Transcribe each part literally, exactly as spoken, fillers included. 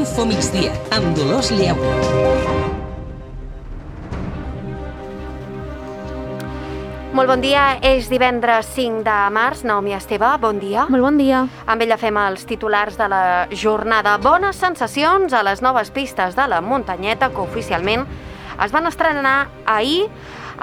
Info Migdia, amb Dolors Lleu. Molt bon dia, és divendres cinc de març. Naomi Esteve, bon dia. Molt bon dia. Amb ella fem els titulars de la jornada. Bones sensacions a les noves pistes de la muntanyeta que oficialment es van estrenar ahir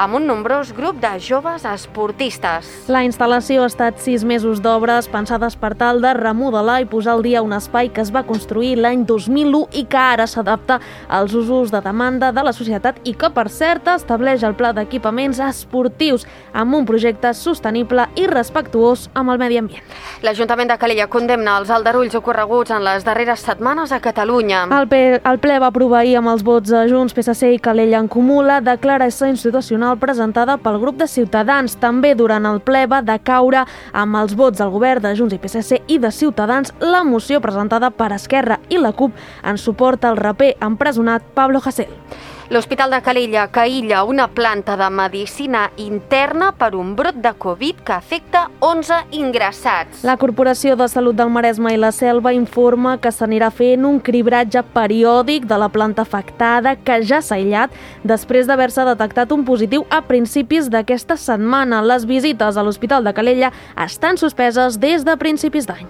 amb un nombrós grup de joves esportistes. La instal·lació ha estat sis mesos d'obres pensades per tal de remodelar i posar al dia un espai que es va construir l'any dos mil u i que ara s'adapta als usos de demanda de la societat i que, per cert, estableix el pla d'equipaments esportius amb un projecte sostenible i respectuós amb el medi ambient. L'Ajuntament de Calella condemna els aldarulls ocorreguts en les darreres setmanes a Catalunya. El, P el ple va aprovar ahir amb els vots de Junts, P S C i Calella en Comú la declaració institucional presentada pel grup de Ciutadans. També durant el ple va decaure amb els vots del govern de Junts i P S C i de Ciutadans la moció presentada per Esquerra i la CUP en suport al raper empresonat Pablo Hasél. L'Hospital de Calella que aïlla una planta de medicina interna per un brot de Covid que afecta onze ingressats. La Corporació de Salut del Maresme i la Selva informa que s'anirà fent un cribratge periòdic de la planta afectada que ja s'ha aïllat després d'haver-se detectat un positiu a principis d'aquesta setmana. Les visites a l'Hospital de Calella estan suspeses des de principis d'any.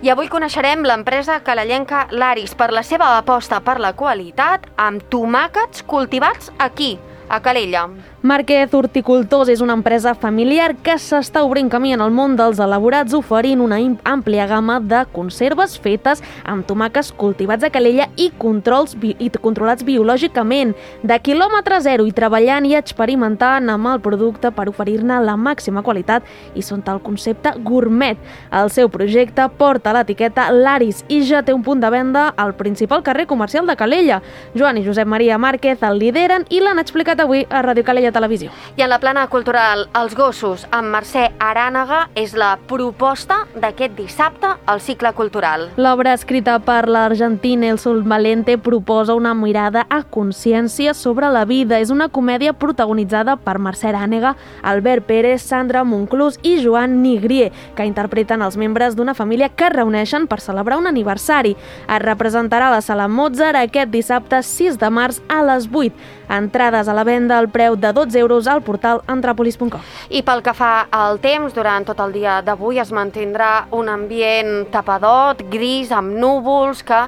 I avui coneixerem l'empresa calellenca Laris per la seva aposta per la qualitat amb tomàquets cultivats aquí, a Calella. Márquez Horticultors és una empresa familiar que s'està obrint camí en el món dels elaborats, oferint una àmplia gamma de conserves fetes amb tomàquets cultivats a Calella i, controls bi i controlats biològicament, de quilòmetre zero, i treballant i experimentant amb el producte per oferir-ne la màxima qualitat i sota el concepte gourmet. El seu projecte porta l'etiqueta Laris i ja té un punt de venda al principal carrer comercial de Calella. Joan i Josep Maria Márquez el lideren i l'han explicat avui a Ràdio Calella Televisió. I en la plana cultural, Els gossos, amb Mercè Arànega, és la proposta d'aquest dissabte al cicle cultural. L'obra escrita per l'argentí Nelson Valente proposa una mirada a consciència sobre la vida. És una comèdia protagonitzada per Mercè Arànega, Albert Pérez, Sandra Monclús i Joan Nigrier, que interpreten els membres d'una família que es reuneixen per celebrar un aniversari. Es representarà a la Sala Mozart aquest dissabte sis de març a les vuit. Entrades a la venda al preu de dotze euros al portal antrapolis punt com. I pel que fa al temps, durant tot el dia d'avui es mantindrà un ambient tapadot, gris, amb núvols, que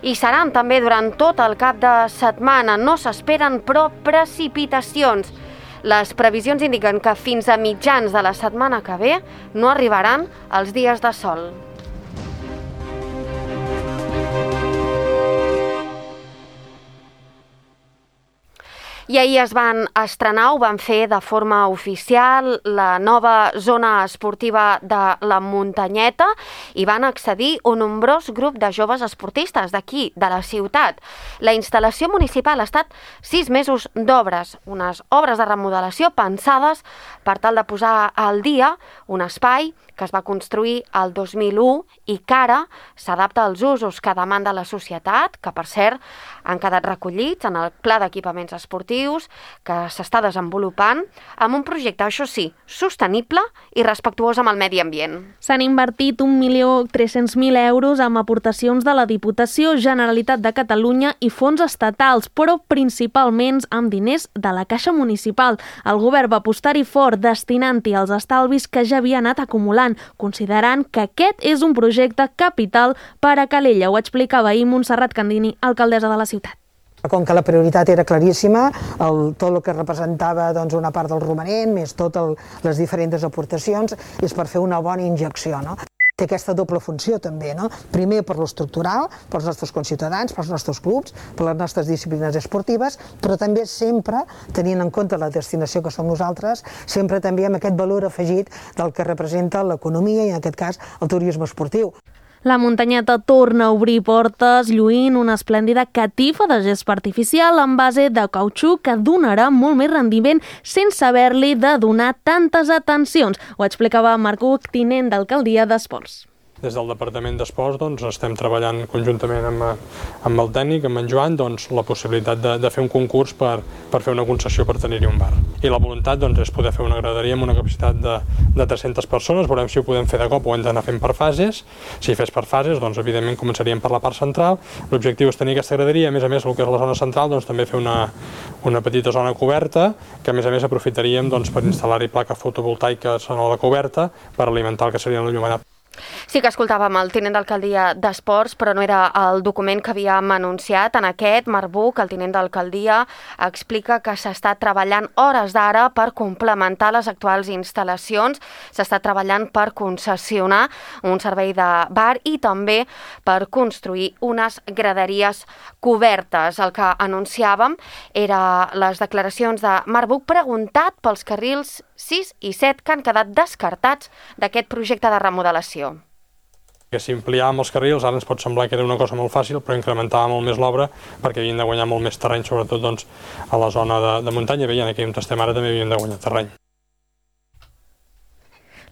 hi seran també durant tot el cap de setmana. No s'esperen, però, precipitacions. Les previsions indiquen que fins a mitjans de la setmana que ve no arribaran els dies de sol. I ahir es van estrenar, ho van fer de forma oficial, la nova zona esportiva de la muntanyeta i van accedir un nombrós grup de joves esportistes d'aquí, de la ciutat. La instal·lació municipal ha estat sis mesos d'obres, unes obres de remodelació pensades per tal de posar al dia un espai que es va construir el dos mil u i que ara s'adapta als usos que demanda la societat, que per cert han quedat recollits en el pla d'equipaments esportius que s'està desenvolupant amb un projecte, això sí, sostenible i respectuós amb el medi ambient. S'han invertit un milió tres-cents mil euros amb aportacions de la Diputació, Generalitat de Catalunya i fons estatals, però principalment amb diners de la Caixa Municipal. El govern va apostar-hi fort, destinant-hi els estalvis que ja havia anat acumulant, considerant que aquest és un projecte capital per a Calella. Ho explicava ahir Montserrat Candini, alcaldessa de la ciutat. Com que la prioritat era claríssima, el, tot el que representava doncs, una part del romanent, més totes les diferents aportacions, és per fer una bona injecció, no? Té aquesta doble funció també, no? Primer per l'estructural, pels nostres conciutadans, pels nostres clubs, per les nostres disciplines esportives, però també sempre, tenint en compte la destinació que som nosaltres, sempre també amb aquest valor afegit del que representa l'economia i en aquest cas el turisme esportiu. La muntanyeta torna a obrir portes lluint una esplèndida catifa de gespa artificial en base de cautxú que donarà molt més rendiment sense haver-li de donar tantes atencions. Ho explicava Marc Huc, tinent d'alcaldia d'Esports. des del Departament d'Esports doncs, estem treballant conjuntament amb, amb el tècnic, amb en Joan, doncs, la possibilitat de, de fer un concurs per, per fer una concessió per tenir-hi un bar. I la voluntat doncs, és poder fer una graderia amb una capacitat de, de tres-centes persones, veurem si ho podem fer de cop o hem d'anar fent per fases. Si fes per fases, doncs, evidentment començaríem per la part central. L'objectiu és tenir aquesta graderia, a més a més el que és la zona central, doncs, també fer una, una petita zona coberta, que a més a més aprofitaríem doncs, per instal·lar-hi plaques fotovoltaiques a la coberta per alimentar el que seria l'enllumenat. Sí que escoltàvem el tinent d'alcaldia d'Esports, però no era el document que havíem anunciat. En aquest, Marc Buch, el tinent d'alcaldia, explica que s'està treballant hores d'ara per complementar les actuals instal·lacions, s'està treballant per concessionar un servei de bar i també per construir unes graderies cobertes. El que anunciàvem era les declaracions de Marc Buch preguntat pels carrils sis i set que han quedat descartats d'aquest projecte de remodelació. Que si ampliàvem els carrils, ara ens pot semblar que era una cosa molt fàcil, però incrementàvem molt més l'obra perquè havien de guanyar molt més terreny, sobretot doncs, a la zona de, de muntanya. Veient aquí on estem ara també havien de guanyar terreny.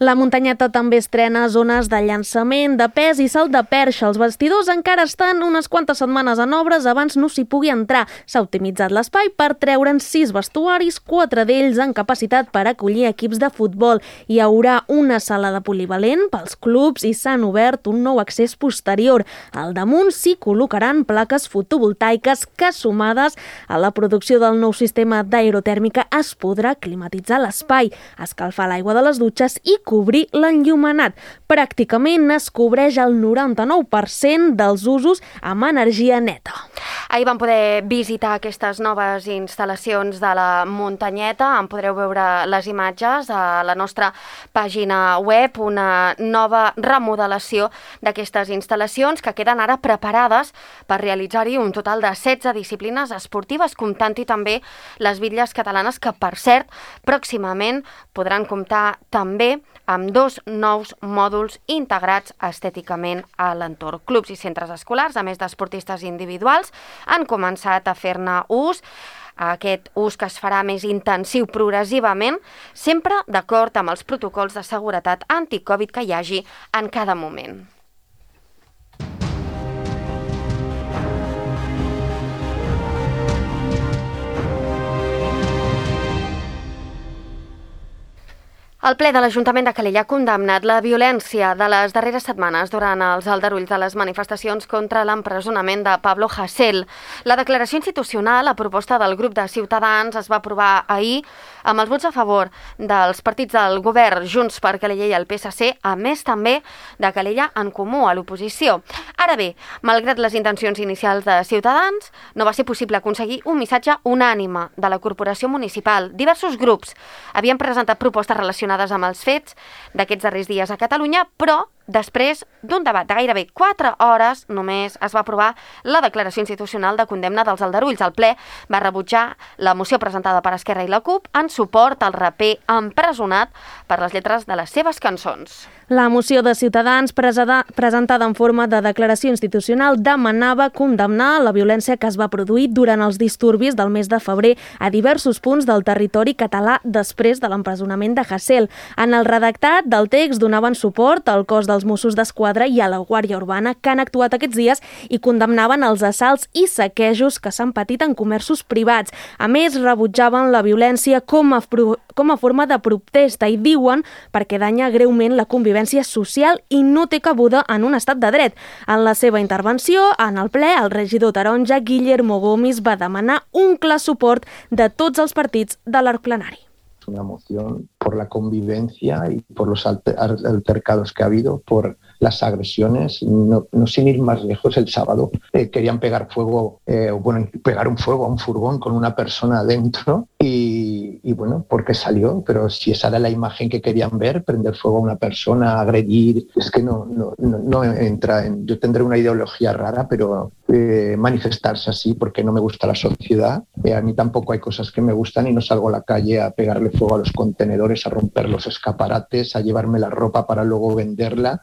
La muntanyeta també estrena zones de llançament, de pes i salt de perxa. Els vestidors encara estan unes quantes setmanes en obres abans no s'hi pugui entrar. S'ha optimitzat l'espai per treure'n sis vestuaris, quatre d'ells amb capacitat per acollir equips de futbol. Hi haurà una sala de polivalent pels clubs i s'han obert un nou accés posterior. Al damunt s'hi col·locaran plaques fotovoltaiques que, sumades a la producció del nou sistema d'aerotèrmica, es podrà climatitzar l'espai, escalfar l'aigua de les dutxes i cobrir l'enllumenat. Pràcticament es cobreix el noranta-nou per cent dels usos amb energia neta. Ahir vam poder visitar aquestes noves instal·lacions de la muntanyeta. En podreu veure les imatges a la nostra pàgina web, una nova remodelació d'aquestes instal·lacions que queden ara preparades per realitzar-hi un total de setze disciplines esportives, comptant-hi també les bitlles catalanes que, per cert, pròximament podran comptar també amb dos nous mòduls integrats estèticament a l'entorn. Clubs i centres escolars, a més d'esportistes individuals, han començat a fer-ne ús. Aquest ús que es farà més intensiu progressivament, sempre d'acord amb els protocols de seguretat anticovid que hi hagi en cada moment. El ple de l'Ajuntament de Calella ha condemnat la violència de les darreres setmanes durant els aldarulls de les manifestacions contra l'empresonament de Pablo Hasél. La declaració institucional, a proposta del grup de Ciutadans, es va aprovar ahir amb els vots a favor dels partits del govern Junts per Calella i el P S C, a més també de Calella en Comú a l'oposició. Ara bé, malgrat les intencions inicials de Ciutadans, no va ser possible aconseguir un missatge unànime de la Corporació Municipal. Diversos grups havien presentat propostes relacionades amb els fets d'aquests darrers dies a Catalunya, però després d'un debat de gairebé quatre hores només es va aprovar la declaració institucional de condemna dels aldarulls. El ple va rebutjar la moció presentada per Esquerra i la CUP en suport al raper empresonat per les lletres de les seves cançons. La moció de Ciutadans presentada en forma de declaració institucional demanava condemnar la violència que es va produir durant els disturbis del mes de febrer a diversos punts del territori català després de l'empresonament de Hasél. En el redactat del text donaven suport al cos dels Mossos d'Esquadra i a la Guàrdia Urbana que han actuat aquests dies i condemnaven els assalts i saquejos que s'han patit en comerços privats. A més, rebutjaven la violència com a, com a forma de protesta i diuen perquè danya greument la convivència social i no té cabuda en un estat de dret. En la seva intervenció, en el ple, el regidor taronja Guillermo Gomis va demanar un clar suport de tots els partits de l'arc plenari. Una moción por la convivencia y por los altercados que ha habido, por las agresiones, no, no sin ir más lejos, el sábado eh, querían pegar fuego, eh, bueno, pegar un fuego a un furgón con una persona dentro y, y bueno, porque salió, pero si esa era la imagen que querían ver, prender fuego a una persona, agredir, es que no, no, no, no entra en, yo tendré una ideología rara, pero eh, manifestarse así porque no me gusta la sociedad, eh, a mí tampoco hay cosas que me gustan y no salgo a la calle a pegarle fuego a los contenedores, a romper los escaparates, a llevarme la ropa para luego venderla.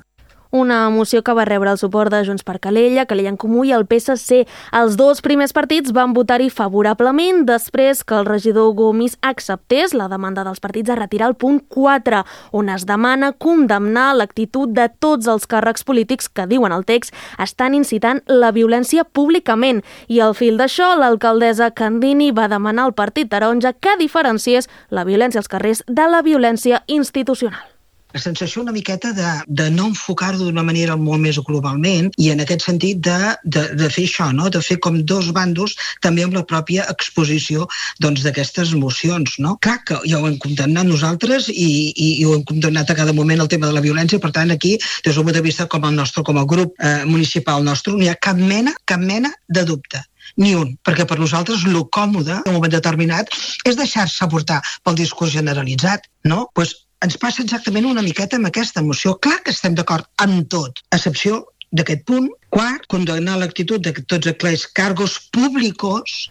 Una moció que va rebre el suport de Junts per Calella, Calella en Comú i el P S C. Els dos primers partits van votar-hi favorablement després que el regidor Gomis acceptés la demanda dels partits a retirar el punt quatre, on es demana condemnar l'actitud de tots els càrrecs polítics que, diuen el text, estan incitant la violència públicament. I al fil d'això, l'alcaldessa Candini va demanar al Partit Taronja que diferenciés la violència als carrers de la violència institucional. La sensació una miqueta de, de no enfocar-ho d'una manera molt més globalment i en aquest sentit de, de, de fer això, no? De fer com dos bandos també amb la pròpia exposició doncs, d'aquestes mocions. No? Clar que ja ho hem condemnat nosaltres i, i, i ho hem condemnat a cada moment el tema de la violència, per tant aquí, des del punt de vista com el nostre, com el grup eh, municipal nostre, no hi ha cap mena, cap mena de dubte. Ni un, perquè per nosaltres el còmode en un moment determinat és deixar-se portar pel discurs generalitzat, no? Pues ens passa exactament una miqueta amb aquesta moció. Clar que estem d'acord amb tot, a excepció d'aquest punt. Quart, condemnar l'actitud de tots aquells càrrecs públics.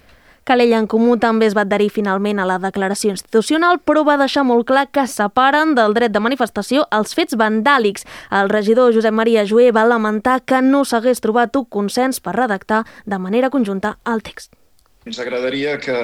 Calella en Comú també es va adherir finalment a la declaració institucional, però va deixar molt clar que separen del dret de manifestació els fets vandàlics. El regidor Josep Maria Joé va lamentar que no s'hagués trobat un consens per redactar de manera conjunta el text. Ens agradaria que,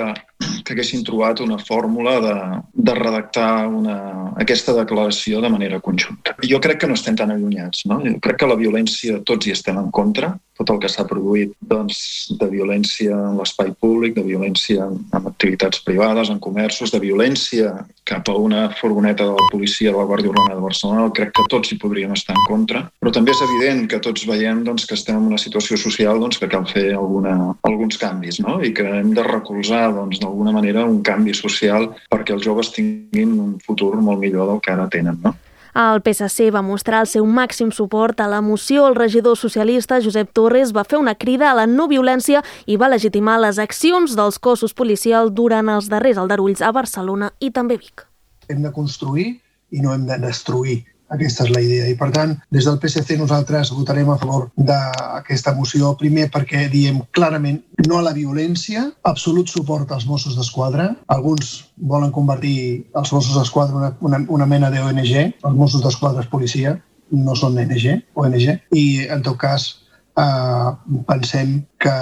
que haguessin trobat una fórmula de, de redactar una, aquesta declaració de manera conjunta. Jo crec que no estem tan allunyats, no? Jo crec que la violència tots hi estem en contra, tot el que s'ha produït doncs, de violència en l'espai públic, de violència en activitats privades, en comerços, de violència cap a una furgoneta de la policia de la Guàrdia Urbana de Barcelona, crec que tots hi podríem estar en contra, però també és evident que tots veiem doncs, que estem en una situació social doncs, que cal fer alguna, alguns canvis, no? I que hem de recolzar doncs, d'alguna manera un canvi social perquè els joves tinguin un futur molt millor del que ara tenen, no? El P S C va mostrar el seu màxim suport a la moció. El regidor socialista Josep Torres va fer una crida a la no violència i va legitimar les accions dels cossos policials durant els darrers aldarulls a Barcelona i també Vic. Hem de construir i no hem de destruir. Aquesta és la idea. I, per tant, des del P S C nosaltres votarem a favor d'aquesta moció. Primer, perquè diem clarament no a la violència, absolut suport als Mossos d'Esquadra. Alguns volen convertir els Mossos d'Esquadra en una, una, una mena d'O N G. Els Mossos d'Esquadra és policia, no són O N G. O N G. I, en tot cas, eh, pensem que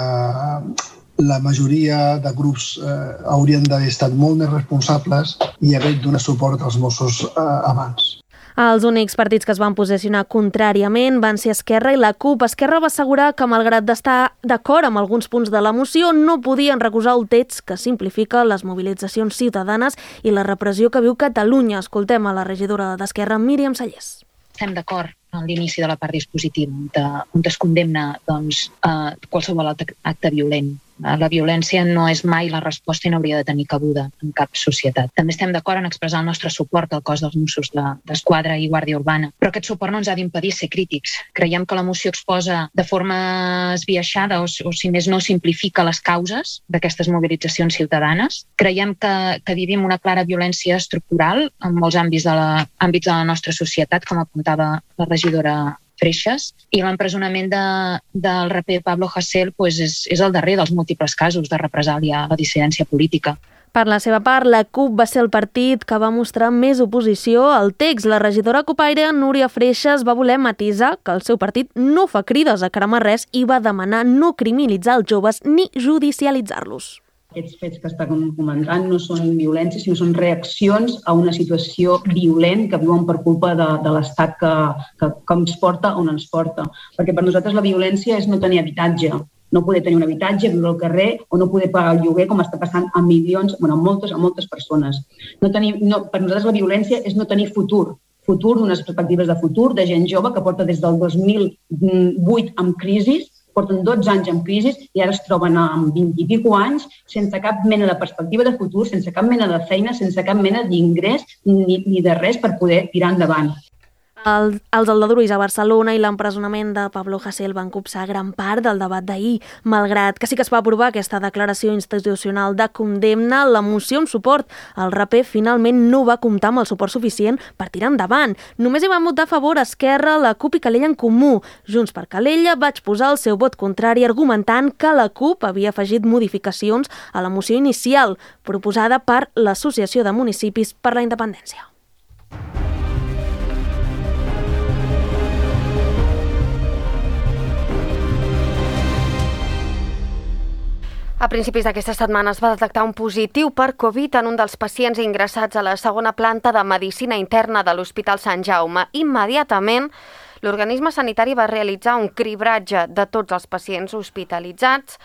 la majoria de grups eh, haurien d'haver estat molt més responsables i haver donat suport als Mossos eh, abans. Els únics partits que es van posicionar contràriament van ser Esquerra i la CUP. Esquerra va assegurar que, malgrat d'estar d'acord amb alguns punts de la moció, no podien recusar el text que simplifica les mobilitzacions ciutadanes i la repressió que viu Catalunya. Escoltem a la regidora d'Esquerra, Míriam Sallés. Estem d'acord en l'inici de la part dispositiva, on es condemna doncs, eh, qualsevol acte violent. La violència no és mai la resposta i no hauria de tenir cabuda en cap societat. També estem d'acord en expressar el nostre suport al cos dels Mossos d'Esquadra i Guàrdia Urbana, però aquest suport no ens ha d'impedir ser crítics. Creiem que la moció exposa de forma esbiaixada o, o si més no simplifica les causes d'aquestes mobilitzacions ciutadanes. Creiem que, que vivim una clara violència estructural en molts àmbits de la, àmbits de la nostra societat, com apuntava la regidora Freixas, i l'empresonament de, del raper Pablo Hasél pues, és, és el darrer dels múltiples casos de represàlia a la dissidència política. Per la seva part, la CUP va ser el partit que va mostrar més oposició al text. La regidora copaire Núria Freixas va voler matisar que el seu partit no fa crides a cremar res i va demanar no criminalitzar els joves ni judicialitzar-los. Aquests fets que està comentant no són violència, sinó són reaccions a una situació violent que viuen per culpa de, de l'estat que, que, que ens porta on ens porta. Perquè per nosaltres la violència és no tenir habitatge, no poder tenir un habitatge, viure al carrer o no poder pagar el lloguer com està passant a milions, bueno, a moltes, a moltes persones. No tenir, no, per nosaltres la violència és no tenir futur, futur d'unes perspectives de futur, de gent jove que porta des del dos mil vuit amb crisi, porten dotze anys en crisi i ara es troben amb vint i pico anys sense cap mena de perspectiva de futur, sense cap mena de feina, sense cap mena d'ingrés ni, ni de res per poder tirar endavant. El, els aldarulls a Barcelona i l'empresonament de Pablo Hasél van copsar gran part del debat d'ahir. Malgrat que sí que es va aprovar aquesta declaració institucional de condemna, la moció en suport al raper finalment no va comptar amb el suport suficient per tirar endavant. Només hi van votar a favor Esquerra, la CUP i Calella en Comú. Junts per Calella vaig posar el seu vot contrari argumentant que la CUP havia afegit modificacions a la moció inicial proposada per l'Associació de Municipis per la Independència. A principis d'aquesta setmana es va detectar un positiu per Covid en un dels pacients ingressats a la segona planta de Medicina Interna de l'Hospital Sant Jaume. Immediatament, l'organisme sanitari va realitzar un cribratge de tots els pacients hospitalitzats,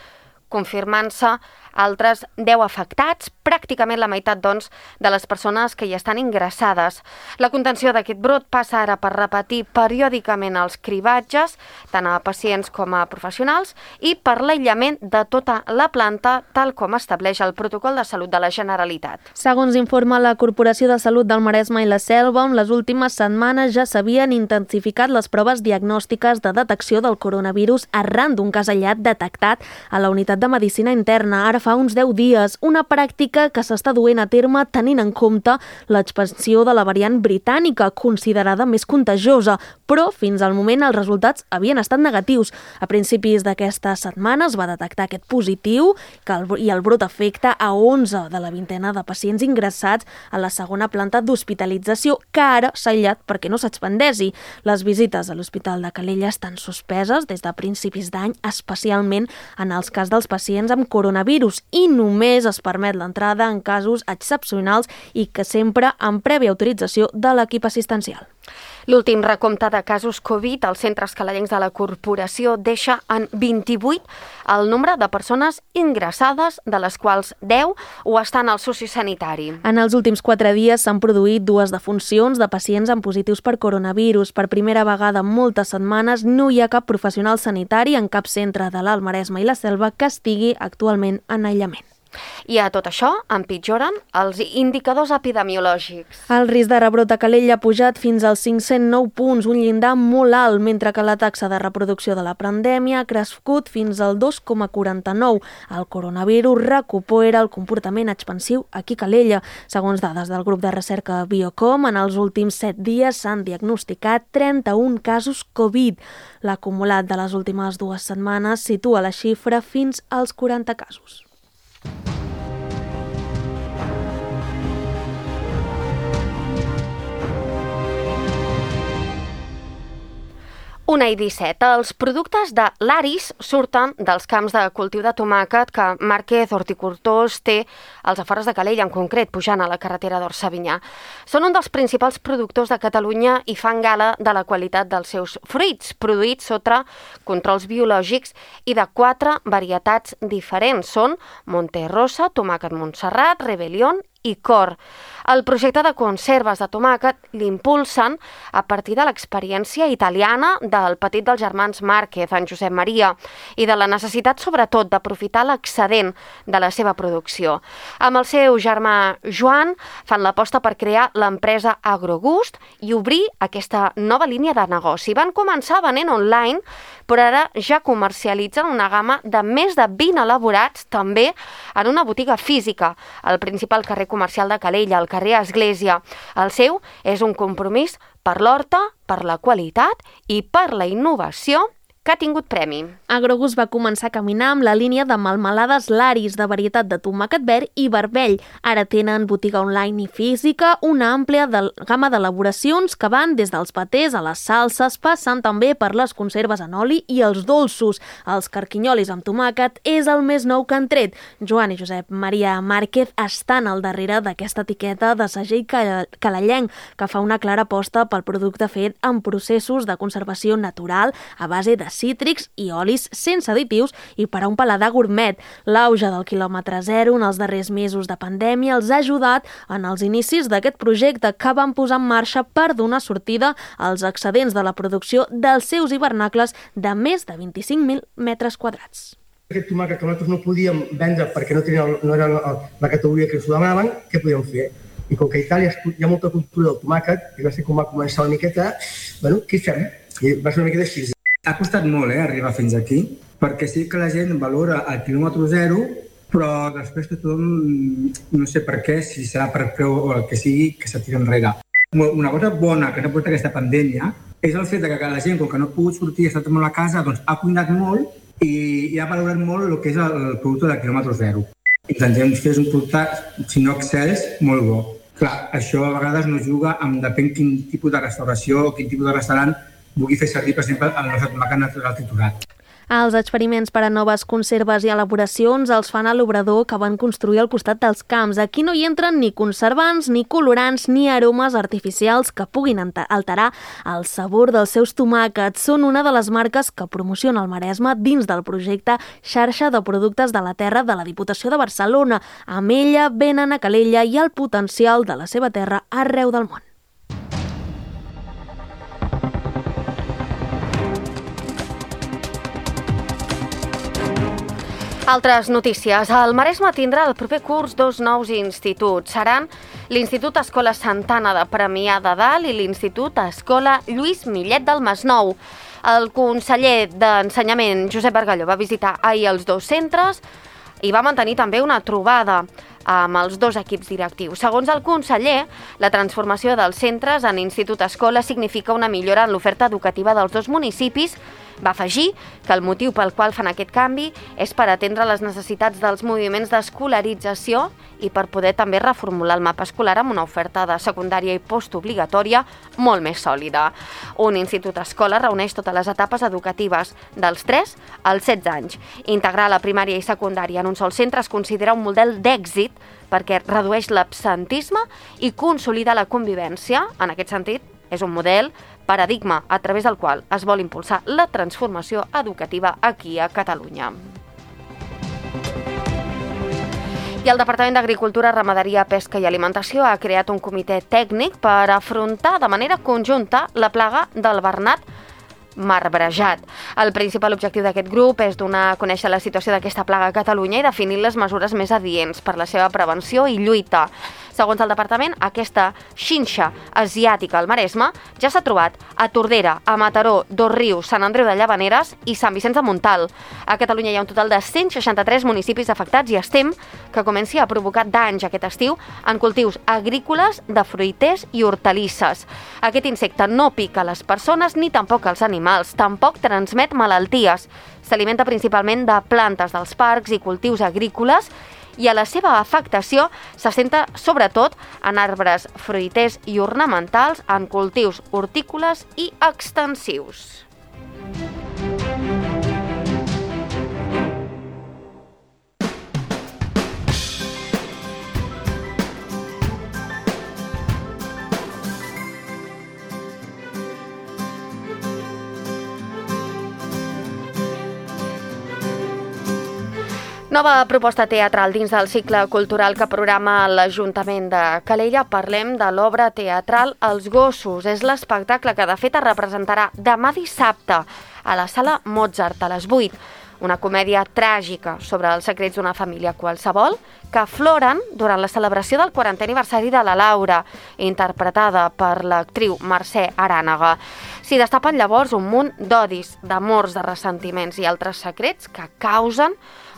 confirmant-se altres deu afectats, pràcticament la meitat, doncs, de les persones que hi estan ingressades. La contenció d'aquest brot passa ara per repetir periòdicament els cribatges, tant a pacients com a professionals, i per l'aïllament de tota la planta, tal com estableix el Protocol de Salut de la Generalitat. Segons informa la Corporació de Salut del Maresme i la Selva, en les últimes setmanes ja s'havien intensificat les proves diagnòstiques de detecció del coronavirus arran d'un cas aïllat detectat a la unitat de Medicina Interna. Ara fa uns deu dies, una pràctica que s'està duent a terme tenint en compte l'expansió de la variant britànica, considerada més contagiosa, però fins al moment els resultats havien estat negatius. A principis d'aquesta setmana es va detectar aquest positiu que el, i el brot afecta a onze de la vintena de pacients ingressats a la segona planta d'hospitalització, que ara s'ha aïllat perquè no s'expandeixi. Les visites a l'Hospital de Calella estan suspeses des de principis d'any, especialment en els cas dels pacients amb coronavirus, i només es permet l'entrada en casos excepcionals i que sempre amb prèvia autorització de l'equip assistencial. L'últim recompte de casos Covid als centres calalencs de la corporació deixa en vint-i-vuit el nombre de persones ingressades, de les quals deu ho estan al sociosanitari. En els últims quatre dies s'han produït dues defuncions de pacients amb positius per coronavirus. Per primera vegada en moltes setmanes no hi ha cap professional sanitari en cap centre de l'Alt Maresme i la Selva que estigui actualment en aïllament. I a tot això empitjoren els indicadors epidemiològics. El risc de rebrot a Calella ha pujat fins als cinc-cents nou punts, un llindar molt alt, mentre que la taxa de reproducció de la pandèmia ha crescut fins al dos coma quaranta-nou. El coronavirus recupera el comportament expansiu aquí a Calella. Segons dades del grup de recerca Biocom, en els últims set dies s'han diagnosticat trenta-un casos Covid. L'acumulat de les últimes dues setmanes situa la xifra fins als quaranta casos. Una i disset. Els productes de l'Aris surten dels camps de cultiu de tomàquet que Márquez Horticultors té als afores de Calella, en concret, pujant a la carretera d'Orsavinyà. Són un dels principals productors de Catalunya i fan gala de la qualitat dels seus fruits, produïts sota controls biològics i de quatre varietats diferents. Són Monterrosa, tomàquet Montserrat, Rebelión i Cor. El projecte de conserves de tomàquet l'impulsen a partir de l'experiència italiana del petit dels germans Márquez, en Josep Maria, i de la necessitat, sobretot, d'aprofitar l'excedent de la seva producció. Amb el seu germà Joan fan l'aposta per crear l'empresa Agrogust i obrir aquesta nova línia de negoci. Van començar venent online, però ara ja comercialitzen una gamma de més de vint elaborats també en una botiga física, al principal carrer comercial de Calella, al carrer Església. El seu és un compromís per l'horta, per la qualitat i per la innovació que ha tingut premi. Agrogust va començar a caminar amb la línia de melmelades Laris, de varietat de tomàquet verd i vermell. Ara tenen botiga online i física, una àmplia de, gamma d'elaboracions que van des dels patés a les salses, passant també per les conserves en oli i els dolços. Els carquinyolis amb tomàquet és el més nou que han tret. Joan i Josep Maria Márquez estan al darrere d'aquesta etiqueta de segell calellenc, que fa una clara aposta pel producte fet en processos de conservació natural a base de cítrics i olis sense additius i per a un paladar gourmet. L'auge del quilòmetre zero en els darrers mesos de pandèmia els ha ajudat en els inicis d'aquest projecte que van posar en marxa per donar sortida als excedents de la producció dels seus hivernacles de més de vint-i-cinc mil metres quadrats. Aquest tomàquet que nosaltres no podíem vendre perquè no, tenia, no era la categoria que ens ho demanaven, què podíem fer? I com que a Itàlia hi ha molta cultura del tomàquet, i va ser com va començar una miqueta, bueno, què fem? I va ser una miqueta així. Ha costat molt eh, arribar fins aquí, perquè sí que la gent valora el quilòmetre zero, però després que tothom, no sé per què, si serà per preu o el que sigui, que se tira enrere. Una cosa bona que ha portat aquesta pandèmia és el fet que la gent, com que no ha pogut sortir i ha estat molt a casa, doncs ha cuinat molt i, i ha valorat molt el que és el, el producte del quilòmetre zero. Intentem fer un producte, si no excels, molt bo. Clar, això a vegades no juga amb depèn quin tipus de restauració o quin tipus de restaurant vulgui fer servir, per exemple, el nostre tomàquet natural triturat. Els experiments per a noves conserves i elaboracions els fan a l'obrador que van construir al costat dels camps. Aquí no hi entren ni conservants, ni colorants, ni aromes artificials que puguin alterar el sabor dels seus tomàquets. Són una de les marques que promociona el Maresme dins del projecte Xarxa de Productes de la Terra de la Diputació de Barcelona. Amb ella venen a Calella i el potencial de la seva terra arreu del món. Altres notícies. El Maresme tindrà el proper curs dos nous instituts. Seran l'Institut Escola Santana de Premià de Dalt i l'Institut Escola Lluís Millet del Masnou. El conseller d'Ensenyament, Josep Bargalló, va visitar ahir els dos centres i va mantenir també una trobada amb els dos equips directius. Segons el conseller, la transformació dels centres en Institut Escola significa una millora en l'oferta educativa dels dos municipis. Va afegir que el motiu pel qual fan aquest canvi és per atendre les necessitats dels moviments d'escolarització i per poder també reformular el mapa escolar amb una oferta de secundària i postobligatòria molt més sòlida. Un institut escola reuneix totes les etapes educatives dels tres als setze anys. Integrar la primària i secundària en un sol centre es considera un model d'èxit perquè redueix l'absentisme i consolida la convivència. En aquest sentit, és un model paradigma a través del qual es vol impulsar la transformació educativa aquí a Catalunya. I el Departament d'Agricultura, Ramaderia, Pesca i Alimentació ha creat un comitè tècnic per afrontar de manera conjunta la plaga del bernat marbrejat. El principal objectiu d'aquest grup és donar a conèixer la situació d'aquesta plaga a Catalunya i definir les mesures més adients per la seva prevenció i lluita. Segons el departament, aquesta xinxa asiàtica al Maresme ja s'ha trobat a Tordera, a Mataró, Dosrius, Sant Andreu de Llavaneres i Sant Vicenç de Montalt. A Catalunya hi ha un total de cent seixanta-tres municipis afectats i es tem que comenci a provocar danys aquest estiu en cultius agrícoles de fruiters i hortalisses. Aquest insecte no pica les persones ni tampoc els animals, tampoc transmet malalties. S'alimenta principalment de plantes dels parcs i cultius agrícoles i a la seva afectació s'assenta sobretot en arbres fruiters i ornamentals, en cultius hortícoles i extensius. Nova proposta teatral dins del cicle cultural que programa l'Ajuntament de Calella. Parlem de l'obra teatral Els gossos. És l'espectacle que de fet es representarà demà dissabte a la Sala Mozart a les vuit. Una comèdia tràgica sobre els secrets d'una família qualsevol que afloren durant la celebració del quarantè aniversari de la Laura, interpretada per l'actriu Mercè Arànega. S'hi destapen llavors un munt d'odis, d'amors, de ressentiments i altres secrets que causen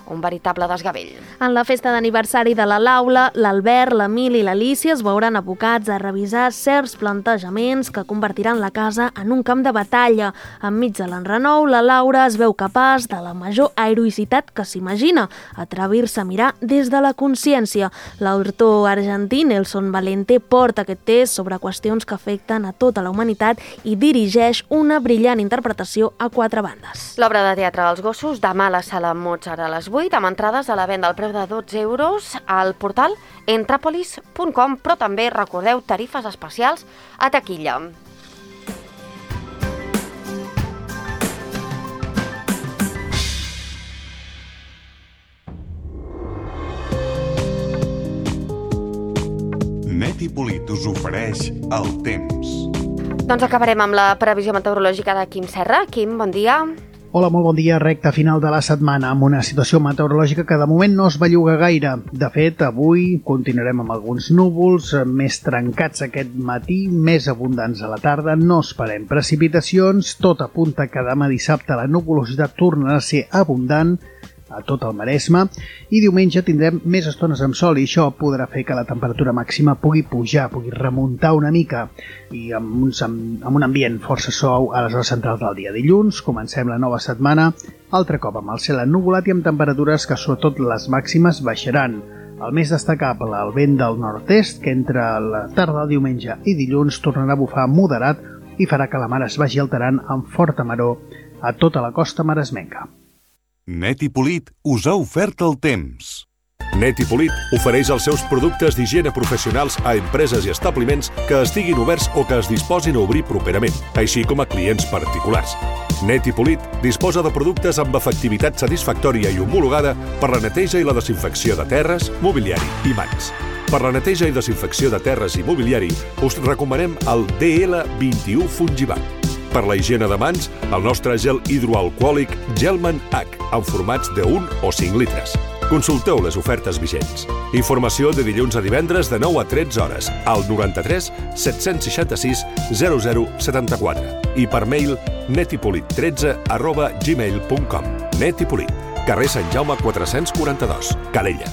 un veritable desgavell. En la festa d'aniversari de la Laura, l'Albert, l'Emili i l'Alícia es veuran abocats a revisar certs plantejaments que convertiran la casa en un camp de batalla. Enmig de l'enrenou, la Laura es veu capaç de la major heroïcitat que s'imagina, atrevir-se a mirar des de la consciència. L'autor argentí Nelson Valente porta aquest test sobre qüestions que afecten a tota la humanitat i dirigeix una brillant interpretació a quatre bandes. L'obra de teatre dels gossos, demà a la Sala Mozart a les vuit, amb entrades a la venda al preu de dotze euros al portal entrapolis punt com, però també, recordeu, tarifes especials a taquilla. Neti Polit us ofereix el temps. Doncs acabarem amb la previsió meteorològica de Quim Serra. Quim, bon dia. Hola, molt bon dia. Recta final de la setmana amb una situació meteorològica que de moment no es belluga gaire. De fet, avui continuarem amb alguns núvols més trencats aquest matí, més abundants a la tarda. No esperem precipitacions. Tot apunta que demà dissabte la nuvolositat tornarà a ser abundant a tot el Maresme i diumenge tindrem més estones amb sol i això podrà fer que la temperatura màxima pugui pujar, pugui remuntar una mica i amb, uns, amb, amb un ambient força suau a les hores centrals del dia. Dilluns comencem la nova setmana altre cop amb el cel ennuvolat i amb temperatures que sobretot les màximes baixaran. El més destacable, el vent del nord-est, que entre la tarda del diumenge i dilluns tornarà a bufar moderat i farà que la mar es vagi alterant amb forta maror a tota la costa maresmenca. Net i Polit us ha ofert el temps. Net i Polit ofereix els seus productes d'higiene professionals a empreses i establiments que estiguin oberts o que es disposin a obrir properament, així com a clients particulars. Net i Polit disposa de productes amb efectivitat satisfactòria i homologada per la neteja i la desinfecció de terres, mobiliari i mans. Per la neteja i desinfecció de terres i mobiliari us recomanem el D L vint-i-u Fungibat. Per la higiene de mans, el nostre gel hidroalcohòlic Gelman H, en formats de un o cinc litres. Consulteu les ofertes vigents. Informació de dilluns a divendres de nou a tretze hores al noranta-tres set-cents seixanta-sis zero zero setanta-quatre i per mail netipolit tretze arroba gmail punt com. Net i Polit, carrer Sant Jaume quatre-cents quaranta-dos, Calella.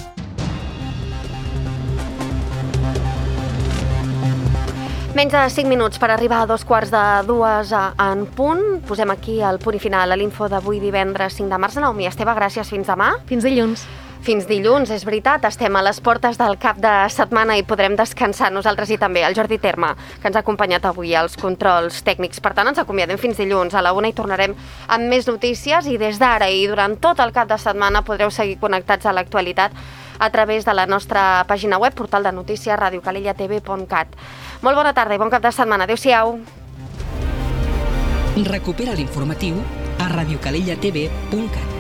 Menys de cinc minuts per arribar a dos quarts de dues en punt. Posem aquí el punt i final a l'info d'avui divendres cinc de març. Naomi Esteve, gràcies. Fins demà. Fins dilluns. Fins dilluns, és veritat, estem a les portes del cap de setmana i podrem descansar nosaltres i també el Jordi Terme, que ens ha acompanyat avui als controls tècnics. Per tant, ens acomiadem fins dilluns. A la una hi tornarem amb més notícies i des d'ara i durant tot el cap de setmana podreu seguir connectats a l'actualitat a través de la nostra pàgina web, portal de notícies, radio calella t v punt cat. Molt bona tarda i bon cap de setmana. Adéu-siau. Recupera l'informatiu a radio calella t v punt cat.